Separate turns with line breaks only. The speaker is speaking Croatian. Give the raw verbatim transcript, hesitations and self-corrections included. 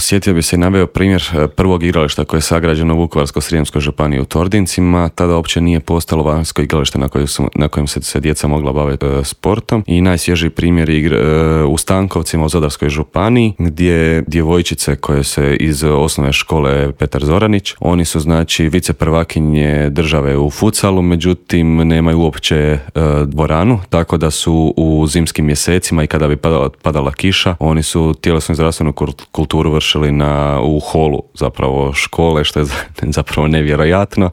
Sjetio bi se i naveo primjer prvog igrališta koje je sagrađeno u Vukovarsko-srijemskoj županiji u Tordincima. Tada uopće nije postalo vanjsko igralište na kojem, su, na kojem se, se djeca mogla baviti e, sportom. I najsvježiji primjer je igre, e, u Stankovcima u Zadarskoj županiji, gdje djevojčice koje se iz osnovne škole Petar Zoranić, oni su znači viceprvakinje države u futsalu, međutim nemaju uopće e, dvoranu, tako da su u zimskim mjesecima i kada bi padala, padala kiša, oni su tjelesnu i zdravstvenu kulturu vršili na, u holu zapravo škole, što je zapravo nevjerojatno.